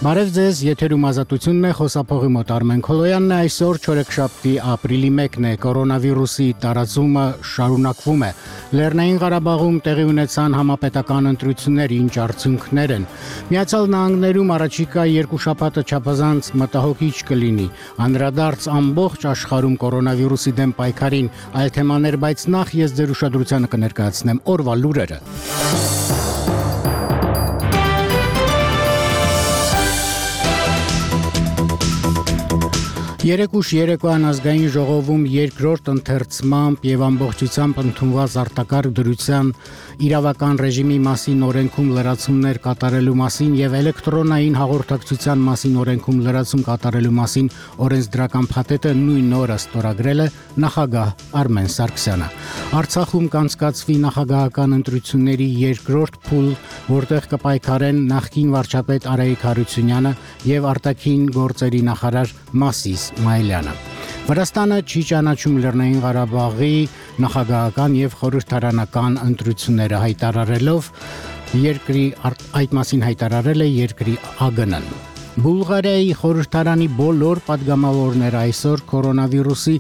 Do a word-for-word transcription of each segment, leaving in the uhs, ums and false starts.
Բարև ձեզ, եթերում ազատությունն է, խոսափողի մոտ Արմեն Քոլոյանն է, այսօր չորեքշաբթի ապրիլի մեկն է, կորոնավիրուսի տարածումը շարունակվում է։ Լեռնային Ղարաբաղում տեղի ունեցան համապետական ընտրություններ, ինչ արդյունքներ են։ Միացյալ Նահանգներում առաջիկա երկու շաբաթը չափազանց մտահոգիչ կլինի։ Անդրադարձ ամբողջ աշխարհում կորոնավիրուսի դեմ պայքարին, այլ թեմաներ, բայց նախ ես ձեր ուշադրությանը կներկայացնեմ օրվա լուրերը։ Երեկուշ երեկոյան ազգային ժողովում երկրորդ ընթերցմամբ եւ ամբողջությամբ ընդունված արտակարգ դրության իրավական ռեժիմի մասին օրենքում լրացումներ կատարելու մասին եւ էլեկտրոնային հաղորդակցության մասին օրենքում լրացում կատարելու մասին օրենսդրական փաթեթը նույն օրը ստորագրել է նախագահ Արմեն Սարգսյանը։ Արցախում կանցկացվի նախագահական ընտրությունների երկրորդ փուլ, որտեղ կպայքարեն նախկին վարչապետ Արայիկ Հարությունյանը եւ արտաքին գործերի նախարար Մասիս Մայլյանը։ Վրաստանը չի ճանաչում Լեռնային Ղարաբաղի նախագահական եւ խորհրդարանական ընտրությունները հայտարարելով երկրի այդ մասին հայտարարել է երկրի ԱԳՆ-ն։ Բուլղարիայի խորհրդարանի բոլոր падգամավորները այսօր կորոնավիրուսի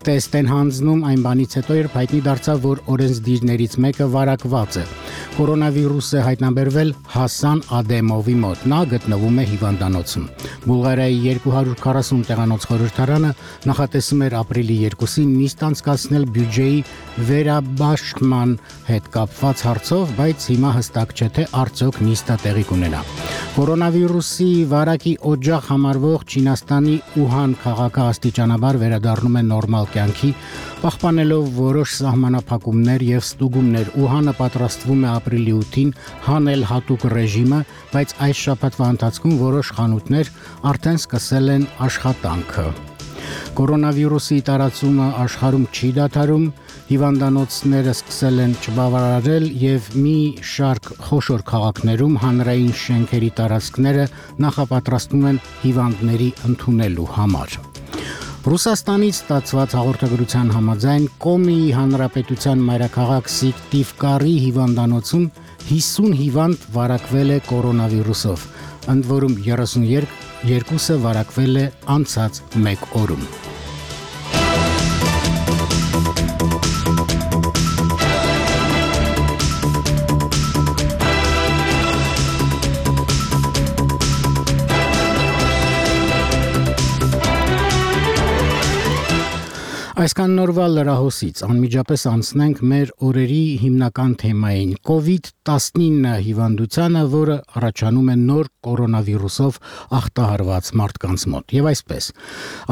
տեստ են հանձնում այն բանից հետո, երբ հայտնի դարձավ, որ օրենսդիրներից մեկը վարակված է։ Կորոնավիրուս է հայտնաբերվել Հասան Ադեմովի մոտ, նա գտնվում է հիվանդանոցում։ Բուլղարիայի երկու հարյուր քառասուն տեղանոց խորհրդարանը նախատեսում էր ապրիլի երկուսին նիստ անցկացնել բյուջեի վերաբաշխման հետ կապված հարցով, բայց հիմա հստակ չէ, թե արդյոք նիստը տեղի կունենա։ Կորոնավիրուսի վարակի օջախ համարվող Չինաստանի Ուհան քաղաքը աստիճանաբար վերադառնում է նորմալ կյանքի, պահպանելով որոշ սահմանափակումներ եւ ստուգումներ։ Ուհանը պատրաստվում է ապրիլի ութին հանել հատուկ ռեժիմը, բայց այս շաբաթվա ընթացքում որոշ խանութներ արդեն սկսել են աշխատանքը։ Կորոնավիրուսի տարածումը աշխարհում չի դադարում, հիվանդանոցները սկսել են չբավարարել եւ մի շարք խոշոր քաղաքներում հանրային շենքերի տարածքները նախապատրաստվում են հիվանդների ընդունելու համար։ Ռուսաստանից ստացված հաղորդագրության համաձայն Կոմիի հանրապետության մայրաքաղաք Սիկտիվկարի հիվանդանոցում հիսուն հիվանդ վարակվել է կորոնավիրուսով, ընդ որում երեսունյոթը վարակվել է անցած մեկ օրում։ Այսքան նորվա լրահոսից անմիջապես անցնենք մեր օրերի հիմնական թեմային՝ կովիդ տասնինը հիվանդությանը, որը առաջանում է նոր կորոնավիրուսով ախտահարված մարդկանց մոտ։ Եվ այսպես,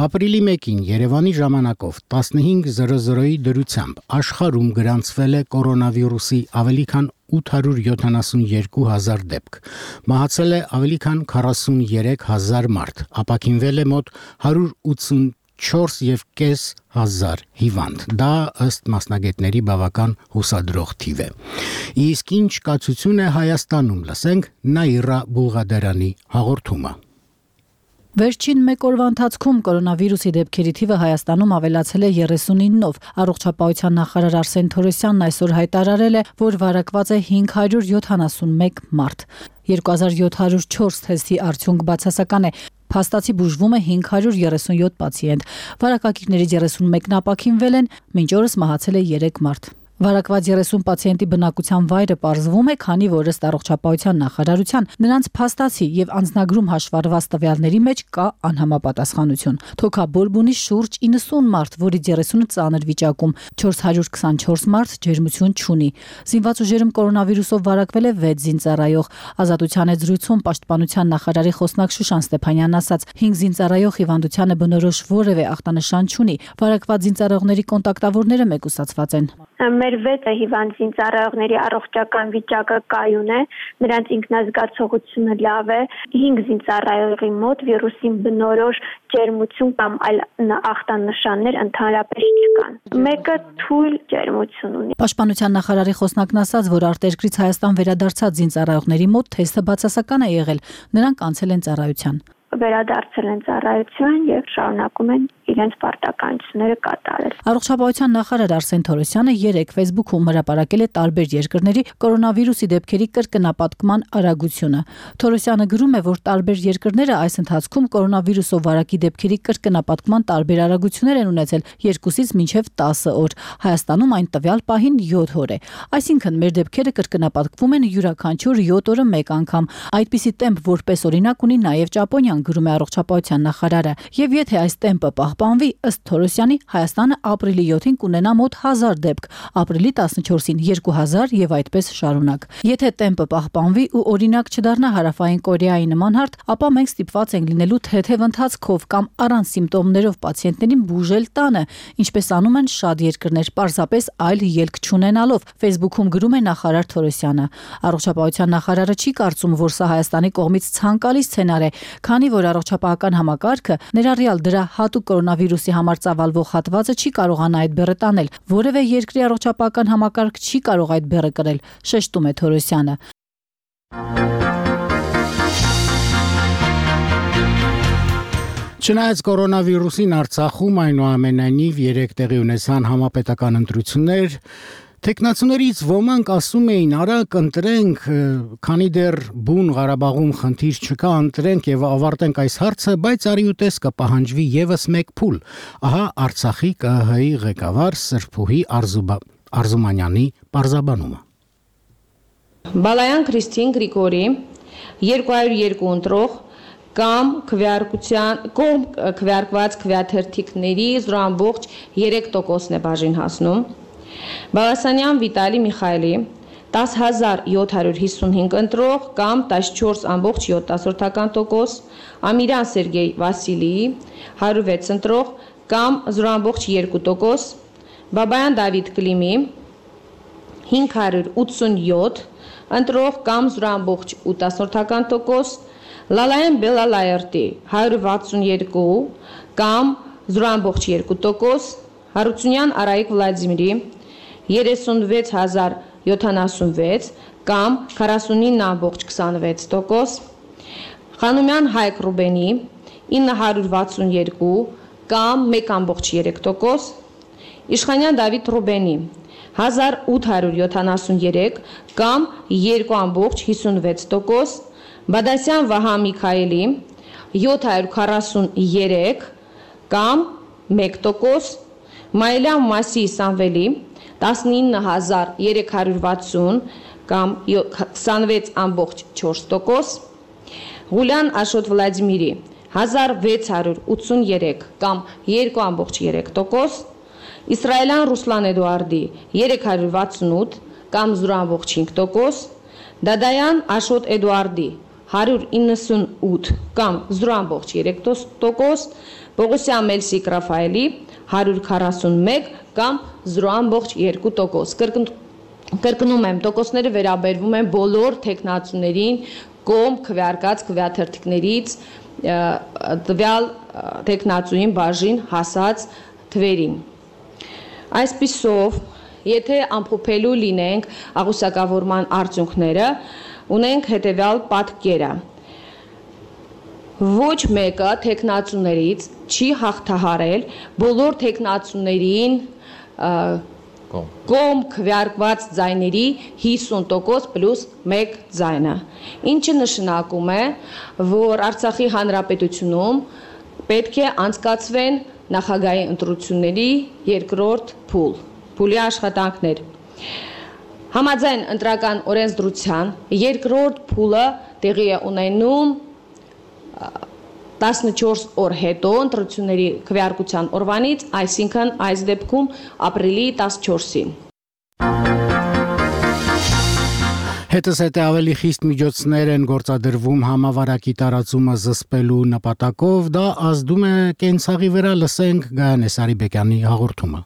ապրիլի մեկին Երևանի ժամանակով տասնհինգ զրո զրոյի դրությամբ աշխարհում գրանցվել է կորոնավիրուսի ավելի քան ութ հարյուր յոթանասունյոթ հազար դեպք։ Մահացել է ավելի քան քառասունյոթ հազար մարդ, ապաքինվել է մոտ հարյուր ութսունչորս եւ կես հազար հիվանդ։ Դա ըստ մասնագետների բավական հուսադրող թիվ է։ Իսկ ինչ կացություն է Հայաստանում, լսենք Նաիրա Բուղադարյանի հաղորդումը։ Վերջին մեկ օրվա ընթացքում կորոնավիրուսի դեպքերի թիվը Հայաստանում ավելացել է երեսունինով։ Առողջապահության նախարար Արսեն Թորոսյանն այսօր հայտարարել է, որ վարակված է հինգ հարյուր յոթանասունմեկ մարդ։ երկու հազար յոթ հարյուր չորս թեստի արդյունք բացասական է։ Փաստացի բուժվում է հինգ հարյուր երեսունյոթ պացիենտ։ Վարակակիրներից երեսունմեկն ապաքինվել են, մինչ օրս մահացել է երեք մարդ։ Վարակված երեսուն պացիենտի բնակության վայրը պարզվում է, քանի որ ըստ առողջապահության նախարարության նրանց փաստացի եւ անձնագրում հաշվառված տվյալների մեջ կա անհամապատասխանություն։ Թոքաբորբունի շուրջ իննսուն մարդ, որից երեսունը ծանր վիճակում, չորս հարյուր քսանչորս մարդ ջերմություն չունի։ Զինված ուժերում կորոնավիրուսով վարակվել է վեց զինծառայող։ Ազատության հետ զրույցում պաշտպանության նախարարի խոսնակ Շուշան Ստեփանյանն ասաց. հինգ զինծառայող հիվանդությանը բնորոշ որևէ ախտանշան չունի։ Վարակված զինծառայողների կոնտակտավորները մեկուսացված են։ Մեր վեց հիվանդ զինծառայողների առողջական վիճակը կայուն է, նրանց ինքնազգացողությունը լավ է, հինգ զինծառայողի մոտ վիրուսին բնորոշ ջերմություն կամ այլ ախտանշաններ ընդհանրապես չկան։ Մեկը թույլ ջերմություն ունի։ Պաշտպանության նախարարի խոսնակն ասաց, որ արտերկրից Հայաստան վերադարձած զինծառայողների մոտ թեստը բացասական է եղել, նրանք անցել են ծառայության։ վերադարձել են ծառայություն եւ շարունակում են իրենց պարտականությունները կատարել։ Առողջապահության նախարար Արսեն Թորոսյանը երեկ Facebook-ում հրապարակել է տարբեր երկրների կորոնավիրուսի դեպքերի կրկնապատկման արագությունը։ Թորոսյանը գրում է, որ տարբեր երկրները այս ընթացքում կորոնավիրուսով վարակի դեպքերի կրկնապատկման տարբեր արագություններ են ունեցել երկուսից մինչև տասը օր։ Հայաստանում այն տվյալ պահին յոթ օր է։ Այսինքն մեր դեպքերը կրկնապատկվում են յուրաքանչյուր յոթ օրը մեկ անգամ։ Այդպիսի տեմպ որպես օրինակ ունի նաև Ճապոնիան, գրում է առողջապահության նախարարը։ Եվ եթե այս տեմպը պահպանվի, ըստ Թորոսյանի, Հայաստանը ապրիլի յոթին կունենա մոտ հազար դեպք, ապրիլի տասնչորսին երկու հազար եւ այդպես շարունակ։ Եթե տեմպը պահպանվի ու օրինակ չդառնա Հարավային Կորեայի նման հարթ, ապա մենք ստիպված ենք լինելու թեթև ընթացքով կամ առանց սիմպտոմներով պացիենտներին բուժել տանը, ինչպես անում են շատ երկրներ, պարզապես այլ ելք չունենալով։ Facebook-ում գրում է նախարար Թորոսյանը։ Առողջապահության նախարարը չի կարծում, որ սա Հայաստանի կողմից ցանկալի սցենար է, քանի որ առողջապահական համակարգը, ներառյալ դրա հատուկ կորոնավիրուսի համար ծավալվող հատվածը չի կարողանա այդ բեռը տանել։ Որևէ երկրի առողջապահական համակարգ չի կարող այդ բեռը կրել, շեշտում է Թորոսյանը։ Չնայած կորոնավիրուսին Արցախում այնուամենայնիվ երեք տեղի ունեցան համապետական ընտրություններ, տեխնացուներից ոմանք ասում էին՝ արագ ընտրենք, քանի դեռ բուն Ղարաբաղում խնդիր չկա, ընտրենք եւ ավարտենք այս հարցը, բայց արի ու տես կպահանջվի եւս մեկ փուլ։ Ահա Արցախի ԿԸՀ-ի ղեկավար Սրփուհի Արզումանյանի պարզաբանումը։ Բալայան Քրիստին Գրիգորի երկու հարյուր երկու ընտրող կամ քվեարկության կողմ քվեարկված քվեաթերթիկների զրո ամբողջ երեք տոկոսն է բաժին հասնում։ Բալասանյան Վիտալի Միխայելի տասը հազար յոթ հարյուր հիսունհինգ ընտրող կամ տասնչորս ամբողջ յոթ տոկոս, Ամիրյան Սերգեյ Վասիլիի հարյուր վեց ընտրող կամ զրո ամբողջ երկու տոկոս, Բաբայան Դավիթ Կլիմի հինգ հարյուր ութսունյոթ ընտրող կամ զրո ամբողջ ութ տոկոս, Լալայեն Բելալայերտի հարյուր վաթսունյոթ կամ զրո ամբողջ երկու տոկոս, Հարությունյան Արայիկ Վլադիմիրի երեսունվեց հազար յոթանասունվեց կամ քառասունինը ամբողջ քսանվեց տոկոս, Խանոմյան Հայկ Ռուբենի ինը հարյուր վաթսունյոթ կամ մեկ ամբողջ երեք տոկոս, Իշխանյան Դավիթ Ռուբենի հազար ութ հարյուր յոթանասունյոթ կամ երկու ամբողջ հիսունվեց տոկոս, Բադասյան Վահա Միքայելի յոթ հարյուր քառասուներեք կամ մեկ տոկոս, Մայլյան Մասի Սամվելի տասնինը հազար երեք հարյուր վաթսուն կամ քսանվեց ամբողջ չորս տոկոս, Ղուլյան Աշոտ Վլադիմիրի հազար վեց հարյուր ութսուներեք կամ երկու ամբողջ երեք տոկոս, Իսրայելյան Ռուսլան Էդուարդի երեք հարյուր վաթսունութ կամ զրո ամբողջ հինգ տոկոս, Դադայան Աշոտ Էդուարդի հարյուր իննսունութ կամ զրո ամբողջ երեք տոկոս, Պողոսյան Մելսիկ Ռաֆայելի հարյուր քառասունմեկ կամ զրո ամբողջ երկու տոկոս։ Կրկնում եմ, տոկոսները վերաբերվում են բոլոր տեխնացուներին կողմ քվեարկած քվեաթերթիկներից տվյալ տեխնացուին բաժին հասած թվերին։ Այսպիսով, եթե ամփոփելու լինենք աղյուսակավորման արդյունքները, ունենք հետևյալ պատկերը։ Ոչ մեկը տեխնացուներից չի հաղթահարել բոլոր տեխնացուներին կողմ քվեարկված ձայների հիսուն տոկոս պլյուս մեկ ձայնը, ինչը նշանակում է, որ Արցախի Հանրապետությունում պետք է անցկացվեն նախագահի ընտրությունների երկրորդ փուլ, փուլի աշխատանքներ։ Համաձայն ընտրական օրենսդրության երկրորդ փուլը տեղի է ունենում տասնչորս օր հետո ընտրությունների քվեարկության օրվանից, այսինքն այս դեպքում ապրիլի տասնչորսին։ Հետզհետե ավելի խիստ միջոցներ են գործադրվում համավարակի տարածումը զսպելու նպատակով, դա ազդում է կենցաղի վրա, լսենք Գայանե Սարիբեկյանի հաղորդումը։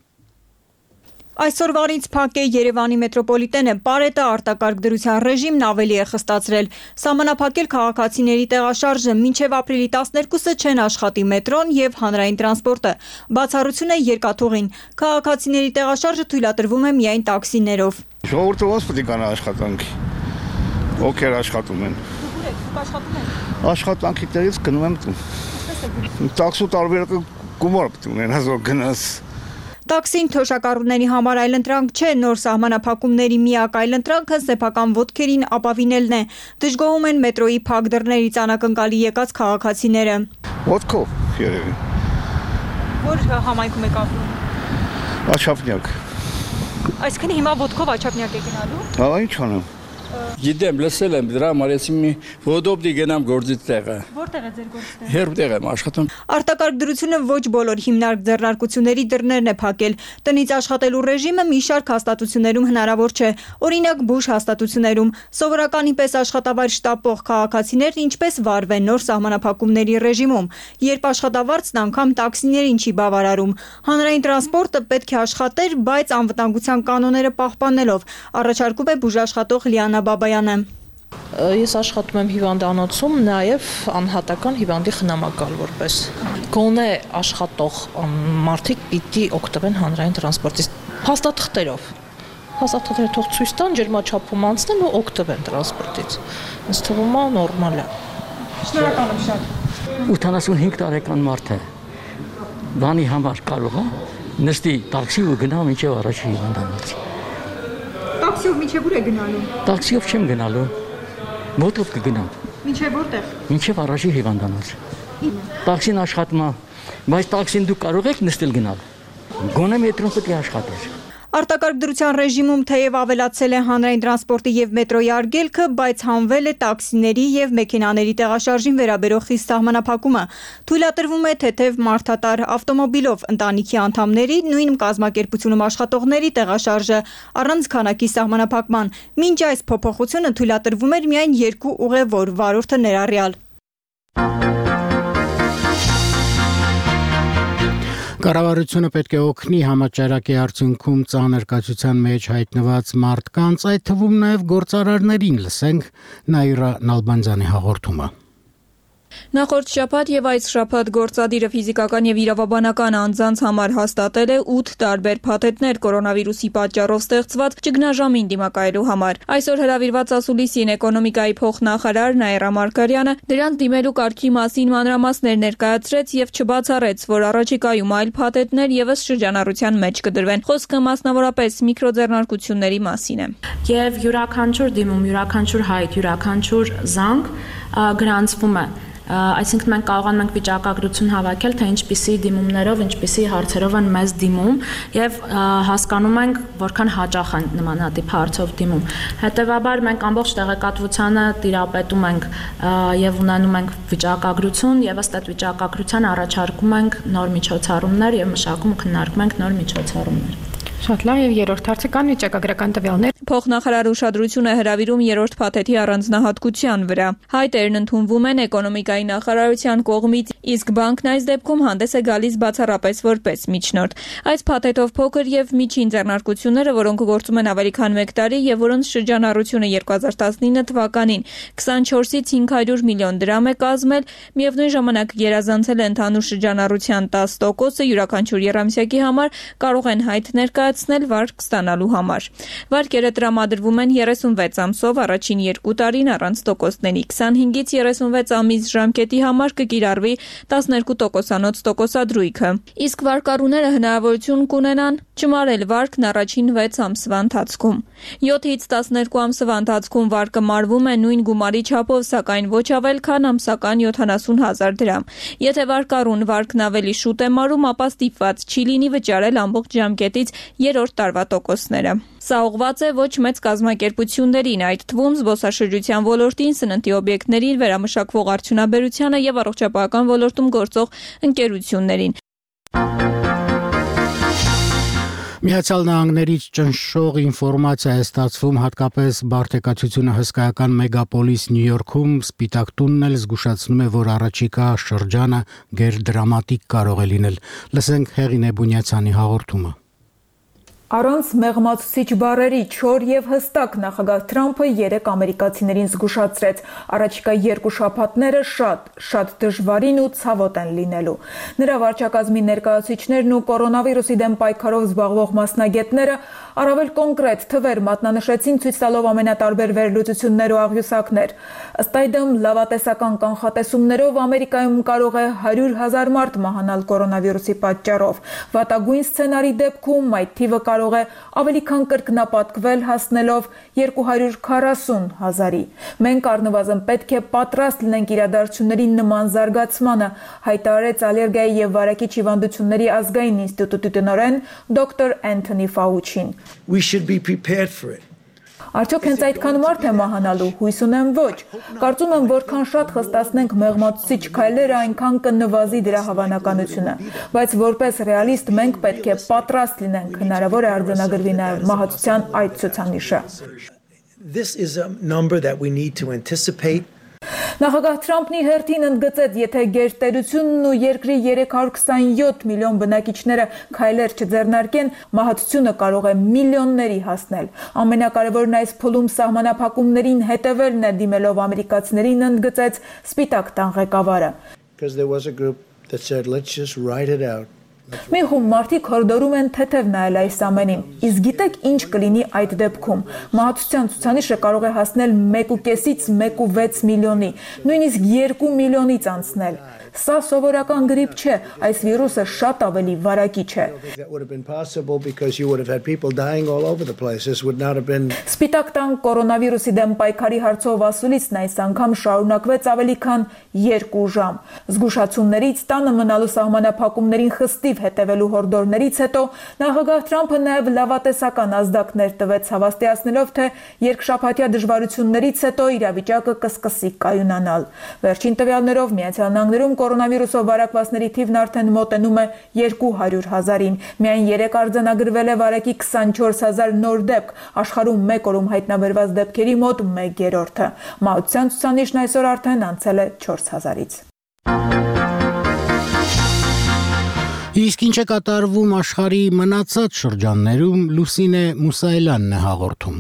Այսօրվանից փակ է Երևանի մետրոպոլիտենը, Պարետը արտակարգ դրության ռեժիմն ավելի է խստացրել։ Սահմանափակել քաղաքացիների տեղաշարժը, մինչև ապրիլի տասներկուսը չեն աշխատի մետրոն եւ հանրային տրանսպորտը։ Բացառություն է երկաթուղին։ Քաղաքացիների տեղաշարժը թույլատրվում է միայն տաքսիներով։ Ժողովուրդը ո՞նց պետք է գնա աշխատանքի։ Ովքեր աշխատում են։ Աշխատում եք։ Աշխատանքի տեղից գնում եմ տուն։ Տաքսու տարբերակը գումար պետք է ունենաս, որ գնաս։ Տաքսին թոշակառուների համար այլընտրանք չէ, նոր սահմանափակումների միակ այլընտրանքը սեփական ոտքերին ապավինելն է։ Դժգոհում են մետրոյի փակ դռներից անակնկալի եկած քաղաքացիները։ Ոտքով երևի։ Որ համայնքում եք ապրում։ Աչափնյակ։ Այսինքն հիմա ոտքով Աչափնյակ եք գնալու։ Հա, ինչ անեմ։ Գիտեմ, լսել եմ դրա համար էսի մի ոդոպտի գնամ գործի տեղը։ Որտեղ է ձեր գործի տեղը։ Հերբտեղ եմ աշխատում։ Արտակարգ դրությունը ոչ բոլոր հիմնարկ ձեռնարկությունների դռներն է փակել։ Տնից աշխատելու ռեժիմը մի շարք հաստատություններում հնարավոր չէ։ Օրինակ բուժ հաստատություններում սովորականի պես աշխատավայր շտապող քաղաքացիներն ինչպես վարվեն նոր սահմանափակումների ռեժիմում, երբ աշխատավարձն անգամ տաքսիներին չի բավարարում։ Հանրային տրանսպորտը պետք է աշխատեր, բայց անվտանգության կանոնները պահպանելով, առաջարկում է բուժաշխատող Լիանա Բաբայանը։ Ես աշխատում եմ հիվանդանոցում, նաև անհատական հիվանդի խնամակալ որպես։ Գոնե աշխատող մարդիկ պիտի օգտվեն հանրային տրանսպորտից փաստաթղթերով։ Փաստաթղթերը թող ցույց տան, ջերմաչափում անցնեն ու օգտվեն տրանսպորտից։ Ինձ թվում է նորմալ է։ Շնորհակալ եմ շատ։ ութանասունհինգ տարեկան մարդ է։ Բանի համար կարող է նստի տաքսի ու գնա մինչև առաջի հիվանդանոց։ Տաքսիով մինչև ուր է գնալու։ Տաքսիով չեմ գնալու։ Մոտով կգնամ։ Մինչև որտեղ։ Մինչև առաջի հիվանդանոց։ Տաքսին աշխատում է, բայց տաքսին դուք կարող եք նստել գնալ։ Գոնե մետրոն պետք է աշխատեր։ Արտակարգ դրության ռեժիմում թեև ավելացել է հանրային տրանսպորտի եւ մետրոյի արգելքը, բայց հանվել է տաքսիների եւ մեքենաների տեղաշարժին վերաբերող խիստ սահմանափակումը։ Թույլատրվում է թեթև մարդատար ավտոմոբիլով ընտանիքի անդամների, նույն կազմակերպությունում աշխատողների տեղաշարժը առանց քանակի սահմանափակման։ Մինչ այս փոփոխությունը թույլատրվում էր միայն երկու ուղևոր վարորդը ներառյալ։ Կառավարությունը պետք է օգնի համաճարակի արդյունքում ծանր կացության մեջ հայտնված մարդկանց, այդ թվում նաև գործարարներին, լսենք Նաիրա Նալբանդյանի հաղորդումը։ Նախորդ շաբաթ եւ այս շաբաթ գործադիրը ֆիզիկական եւ իրավաբանական անձանց համար հաստատել է ութ տարբեր փաթեթներ կորոնավիրուսի պատճառով ստեղծված ճգնաժամին դիմակայելու համար։ Այսօր հրավիրված ասուլիսին էկոնոմիկայի փոխնախարար Նաիրա Մարգարյանը դրանց դիմելու կարգի մասին մանրամասներ ներկայացրեց եւ չբացառեց, որ առաջիկայում այլ փաթեթներ եւս շրջանառության մեջ կդրվեն։ Խոսքը մասնավորապես միկրոձեռնարկությունների մասին է։ Եվ յուրաքանչյուր դիմում, յուրաքանչյուր հայտ, յուրաքանչյուր զանգ գրանցվում է։ Այսինքն մենք կարողանում ենք վիճակագրություն հավաքել, թե ինչպիսի դիմումներով, ինչպիսի հարցերով են մեզ դիմում եւ հասկանում ենք, որքան հաճախ են նմանատիպ հարցով դիմում։ Հետևաբար մենք ամբողջ տեղեկատվությանը տիրապետում ենք եւ ունենում ենք վիճակագրություն եւ ըստ այդ վիճակագրության առաջարկում ենք նոր միջոցառումներ եւ մշակում ու քննարկում ենք նոր միջոցառումներ։ Շատ լավ, եւ երրորդ հարցը կան վիճակագրական տվյալներ։ Փոխնախարար ուշադրությունը հրավիրում երրորդ փաթեթի առանձնահատկության վրա։ Հայտերն ընդունվում են էկոնոմիկայի նախարարության կողմից, իսկ բանկն այս դեպքում հանդես է գալիս բացառապես որպես միջնորդ։ Այս փաթեթով փոքր եւ միջին ձեռնարկությունները, որոնք գործում են ավելի քան մեկ տարի եւ որոնց շրջանառությունը երկու հազար տասնինը թվականին քսանչորսից հինգ հարյուր միլիոն դրամ է կազմել, միևնույն ժամանակ գերազանցել է ընդհանուր շրջանառության տասը տոկոսը, յուրաքանչյուր եռամսյակի համար կարող են հայտ ներկայացնել վարկ ստանալու համար։ Վարկերը տրամադրվում են երեսունվեց ամսով առաջին երկու տարին առանց տոկոսների, քսանհինգից երեսունվեց ամիս ժամկետի համար կկիրառվի տասներկու տոկոսանոց տոկոսադրույքը, իսկ վարկառուները հնարավորություն կունենան չմարել վարկն առաջին վեց ամսվա ընթացքում։ յոթից տասներկու ամսվա ընթացքում վարկը մարվում է նույն գումարի չափով, սակայն ոչ ավել քան ամսական յոթանասուն հազար դրամ։ Եթե վարկառուն վարկն ավելի շուտ է մարում, ապա ստիպված չի լինի վճարել ամբողջ ժամկետից երրորդ տարվա տոկոսները։ Սա ուղղված է ոչ մեծ կազմակերպություններին, այդ թվում զբոսաշրջության ոլորտին, սննդի օբյեկտներին, վերամշակվող արդյունաբերությանը եւ առողջապահական ոլորտում գործող ընկերություններին։ Միացյալ Նահանգներից ճնշող ինֆորմացիա է ստացվում հատկապես բարդեկացությունը հսկայական մեգապոլիս Նյու Յորքում, Սպիտակ տունն էլ զգուշացնում է, որ առաջիկա շրջանը գերդրամատիկ կարող է լինել։ Լսենք Հեղինե Բունյացյանի հաղորդումը։ Առանց մեղմացուցիչ բառերի չոր եւ հստակ նախագահ Թրամփը երեք ամերիկացիներին զգուշացրեց. առաջիկա երկու շաբաթները շատ, շատ դժվարին ու ցավոտ են լինելու։ Նրա վարչակազմի ներկայացուցիչներն ու կորոնավիրուսի դեմ պայքարով զբաղվող մասնագետները առավել կոնկրետ թվեր մատնանշեցին, ցույց տալով ամենատարբեր վերլուծություններ ու աղյուսակներ։ Ըստ այդմ, լավատեսական կանխատեսումներով Ամերիկայում կարող է հարյուր հազար մարդ մահանալ կորոնավիրուսի պատճառով։ Վատագույն սցենարի դեպքում այդ թիվը կարող է ավելի քան կրկնապատկվել, հասնելով երկու հարյուր քառասուն հազարի։ Մենք առնվազն պետք է պատրաստ լինենք իրադարձությունների նման զարգացմանը, հայտարարեց ալերգիայի եւ վարակիչ հիվանդությունների ազգային ինստիտուտի տնօրեն դոկտոր Անթոնի Ֆաուչին։ We should be prepared for it. Արդյոք հենց այդքան մարդ է մահանալու, հույս ունեմ ոչ։ Կարծում եմ, որքան շատ խստացնենք մեղմացուցիչ քայլերը, այնքան կնվազի դրա հավանականությունը։ Բայց որպես ռեալիստ մենք պետք է պատրաստ լինենք, հնարավոր է արձանագրվի նաև մահացության այդ ցուցանիշը։ This is a number that we need to anticipate. Նախագահ Թրամփն իր հերթին ընդգծեց, եթե գերտերությունն ու երկրի երեք հարյուր քսանյոթ միլիոն բնակիչները քայլեր չձեռնարկեն, մահացությունը կարող է միլիոնների հասնել։ Ամենակարևորն այս փուլում սահմանափակումներին հետևելն է, դիմելով ամերիկացիներին ընդգծեց Սպիտակ տան ղեկավարը։ Because there was a group that said let's just ride it out. Մի խումբ մարդիկ հորդորում են թեթև նայել այս ամենին։ Իսկ գիտեք ինչ կլինի այդ դեպքում։ Մահացության ցուցանիշը կարող է հասնել մեկ ու կեսից մեկ ու վեց միլիոնի, նույնիսկ երկու միլիոնից անցնել։ Սա սովորական գրիպ չէ, այս վիրուսը շատ ավելի վարակիչ է։ Սպիտակ տան կորոնավիրուսի դեմ պայքարի հարցով ասուլիսն այս անգամ շարունակվեց ավելի քան երկու ժամ։ Զգուշացումներից, տանը մնալու սահմանափակումներին խստիվ հետևելու հորդորներից հետո նախագահ Թրամփը նաև լավատեսական ազդակներ տվեց, հավաստիացնելով, թե երկշաբաթյա դժվարություններից հետո իրավիճակը կսկսի կայունանալ։ Վերջին տվյալներով Միացյալ Նահանգներում կորոնավիրուսով վարակվածների թիվն արդեն մոտենում է երկու հարյուր հազարին։ Միայն երեք արձանագրվել է վարակի քսանչորս հազար նոր դեպք, աշխարհում մեկ օրում հայտնաբերված դեպքերի մոտ մեկ երրորդը։ Մահացության ցուցանիշն այսօր արդեն անցել է չորս հազարից։ Իսկ ինչ է կատարվում աշխարհի մնացած շրջաններում, Լուսինե Մուսայելյանն է հաղորդում։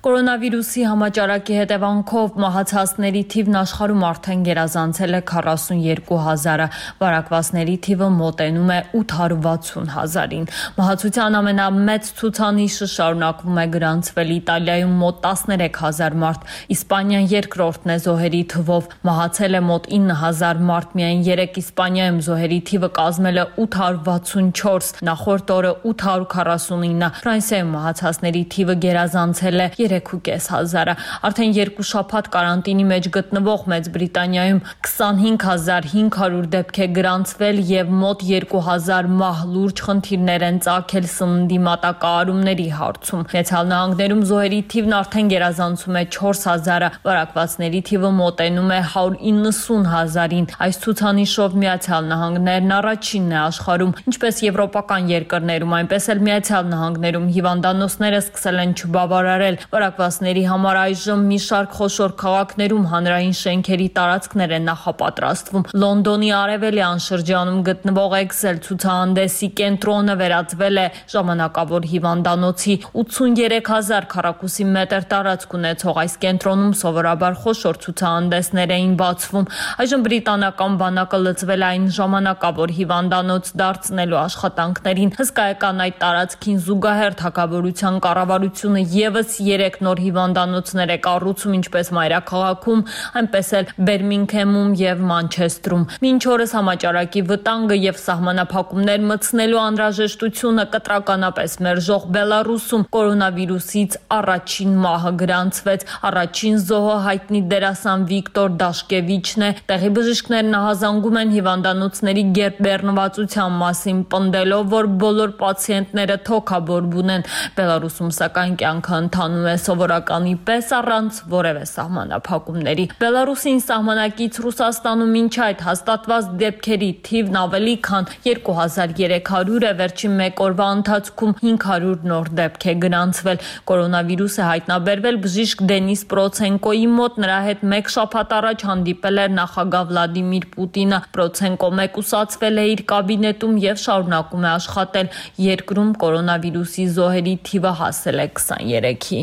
Կորոնավիրուսի համաճարակի հետևանքով մահացածների թիվն աշխարհում արդեն գերազանցել է քառասունյոթ հազարը, վարակվածների թիվը մոտենում է ութ հարյուր վաթսուն հազարին։ Մահացության ամենամեծ ցուցանիշը շարունակվում է գրանցվել Իտալիայում մոտ տասներեք հազար մարդ, Իսպանիան երկրորդն է զոհերի թվով, մահացել է մոտ ինը հազար մարդ, միայն երեք Իսպանիայում զոհերի թիվը կազմել է ութ հարյուր վաթսունչորս, նախորդ օրը ութ հարյուր քառասունինը, Ֆրանսիայում մահացածների թիվը գերազանցել է երեք ու կես հազարը։ Արդեն երկու շաբաթ կարանտինի մեջ գտնվող Մեծ Բրիտանիայում քսանհինգ հազար հինգ հարյուր դեպք է գրանցվել եւ մոտ երկու հազար մահ, լուրջ խնդիրներ են ծագել սննդի մատակարարումների հարցում։ Միացյալ Նահանգներում զոհերի թիվն արդեն գերազանցում է չորս հազարը, վարակվածների թիվը մոտենում է հարյուր իննսուն հազարին։ Այս ցուցանիշով Միացյալ Նահանգներն առաջինն է աշխարհում, ինչպես եվրոպական երկրներում, այնպես էլ Միացյալ Նահանգներում հիվանդանոցները սկսել են չբավարարել վարակվածների համար այժմ մի շարք խոշոր քաղաքներում հանրային շենքերի տարածքներ են նախապատրաստվում։ Լոնդոնի արևելյան շրջանում գտնվող Էքսել ցուցահանդեսի կենտրոնը վերածվել է ժամանակավոր հիվանդանոցի։ ութսուներեք հազար քառակուսի մետր տարածք ունեցող այս կենտրոնում սովորաբար խոշոր ցուցահանդեսներ էին բացվում։ Այժմ բրիտանական բանակը լծվել այն ժամանակավոր հիվանդանոց դարձնելու աշխատանքներին։ Հսկայական այդ տարածքին զուգահեռ թագավորության կառավարությունը եւս երեք նոր հիվանդանոցներ է կառուցում, ինչպես մայրաքաղաքում, այնպես էլ Բերմինգհեմում եւ Մանչեստրում։ Մինչ օրս համաճարակի վտանգը եւ սահմանափակումներ մտցնելու անհրաժեշտությունը կտրականապես մերժող Բելարուսում կորոնավիրուսից առաջին մահը գրանցվեց։ Առաջին զոհը հայտնի դերասան Վիկտոր Դաշկևիչն է։ Տեղի բժիշկներն ահազանգում են հիվանդանոցների գերբեռնվածության մասին, պնդելով, որ բոլոր պացիենտները թոքաբորբ ունեն։ Բելարուսում սակայն կյանքը ընթանում է սովորականի պես առանց որևէ սահմանափակումների։ Բելարուսին սահմանակից Ռուսաստանում մինչ այդ հաստատված դեպքերի թիվն ավելի քան երկու հազար երեք հարյուր է, վերջին մեկ օրվա ընթացքում հինգ հարյուր նոր դեպք է գրանցվել։ Կորոնավիրուս է հայտնաբերվել բժիշկ Դենիս Պրոցենկոյի մոտ, նրա հետ մեկ շաբաթ առաջ հանդիպել էր նախագահ Վլադիմիր Պուտինը։ Պրոցենկո մեկուսացվել է իր կաբինետում եւ շարունակում է աշխատել։ Երկրում կորոնավիրուսի զոհերի թիվը հասել է քսաներեքի։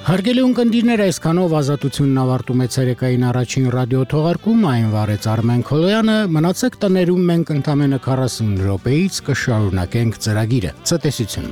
Հարգելի ունկնդիրներ, այսքանով ազատությունն ավարտում է ցերեկային առաջին ռադիո թողարկումը, այն վարեց Արմեն Քոլոյանը, մնացեք տներում, մենք ընդամենը քառասուն րոպեից կշարունակենք ծրագիրը։ Ցտեսություն։